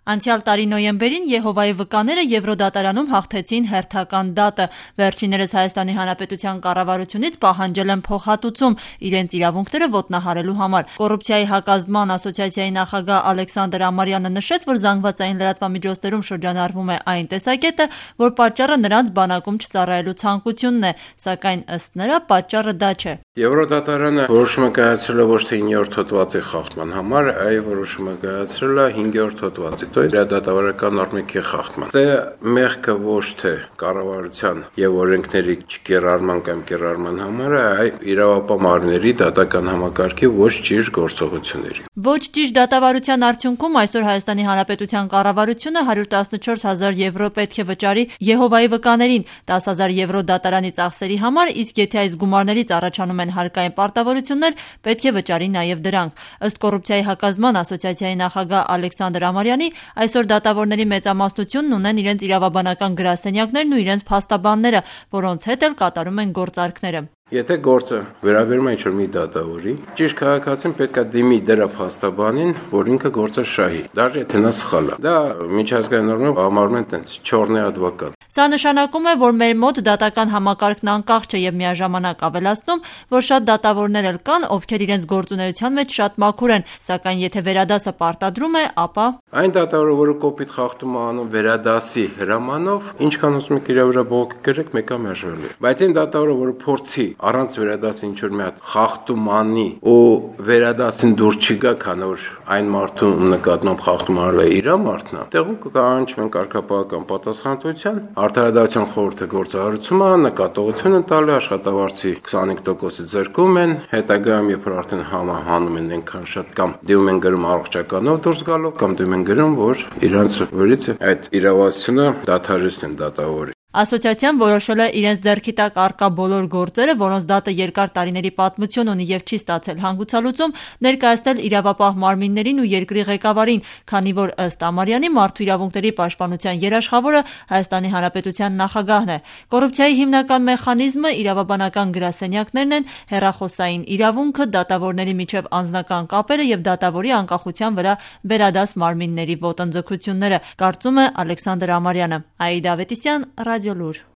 Անցյալ տարի նոյեմբերին Եհովայի վկաները Եվրոդատարանում հաղթեցին հերթական դատը։ Վերջիններս Հայաստանի Հանրապետության կառավարությունից պահանջել են փոխհատուցում իրենց իրավունքները ոտնահարելու համար։ Կոռուպցիայի հակազդման ասոցիացիայի նախագահ Ալեքսանդր Ամարյանը նշեց, որ զանգվածային լրատվամիջոցներում շրջանառվում է այն տեսակետը, որ պատճառը նրանց բանակում չծառայելու ցանկությունն է, սակայն ըստ նրա պատճառը դա չէ։ Եվրոդատարանը որոշումը կայացրել է ոչ թե 9-րդ հոդվածի խախտման համար, այլ որոշումը կայացրել է 5-րդ հոդվածի, то есть դատավարական նորմերի խախտման։ Դե մեղքը ոչ թե կառավարության եւ օրենքների չկիրառման կամ կիրառման համար, այլ իրավապահ մարմինների դատական համակարգի ոչ ճիշտ գործողությունների։ Ոչ ճիշտ դատավարության արդյունքում այսօր Հայաստանի Հանրապետության կառավարությունը 114,000 եվրո պետք է վճարի Եհովայի վկաներին 10,000 եվրո դատարանի ծախսերի համար, իսկ եթե այս գումարներից առաջանում են հարկային պարտավորություններ, պետք է վճարի նաև դրանք։ Ըստ կոռուպցիայի հակազդման ասոցիացիայի նախագահ Ալեքսանդր Ամարյանի, այսօր դատավորների մեծամասնությունն ունեն իրենց իրավաբանական գրասենյակներն ու իրենց փաստաբանները, որոնց հետ էլ կատարում են գործարքները։ Եթե գործը վերաբերում է ինչ-որ մի դատավորի, ճիշտ քաղաքացին պետք է դիմի դրա փաստաբանին, որ ինքը գործը շահի, դաժե եթե նա սխալ է։ Դա միջազգային նորմով համարվում են տենց չորնի advocat։ Սա նշանակում է, որ մեր մոտ դատական համակարգն անկախ չէ եւ միաժամանակ ավելացնում, որ շատ դատավորներ էլ կան, ովքեր իրենց գործունեության մեջ շատ մաքուր են, սակայն եթե վերադասը պարտադրում է, ապա այն դատավորը, որը կոպիտ խախտում է անում վերադասի հրամանով, ինչքան ուզում եք իր վրա բողոք գրեք, մեկը մերժվելու է։ Բայց այն դատավորը, որը փորձի առանց վերադասի ինչ-որ մի հատ խախտում անի ու վերադասին դուր չգա, քանի որ այն մարդու նկատմամբ խախտում արել է իր մարդն է, տեղում կկանչվեն կարգապահական պատասխանատվության, Արդարադատության խորհուրդը գործարարությունը նկատողություն են տալի, աշխատավարձի 25%-ը ձեռքում են, հետագայում երբ արդեն համահանում են այնքան շատ կամ դիմում են գրում առողջականով դուրս գալով, կամ դիմում են գրում, որ իրանց վրից այդ իրավասությունը դադարեցնեն դատավորի։ Ասոցիացիան որոշել է իրենց ձեռքի տակ առկա բոլոր գործերը, որոնց դատը երկար տարիների պատմություն ունի եւ չի ստացել հանգուցալուծում, ներկայացնել իրավապահ մարմիններին ու երկրի ղեկավարին, քանի որ ըստ Ամարյանի մարդու իրավունքների պաշտպանության երաշխավորը Հայաստանի Հանրապետության նախագահն է։ Կոռուպցիայի հիմնական մեխանիզմը իրավաբանական գրասենյակներն են, հեռախոսային իրավունքը, դատավորների միջև անձնական կապերը եւ դատավորի անկախության վրա վերադաս մարմինների ոտնձգությունները, կարծում է Ալեքսանդր Ամարյանը։ Աիդա Ավետիսյան, Ռադիոլուր։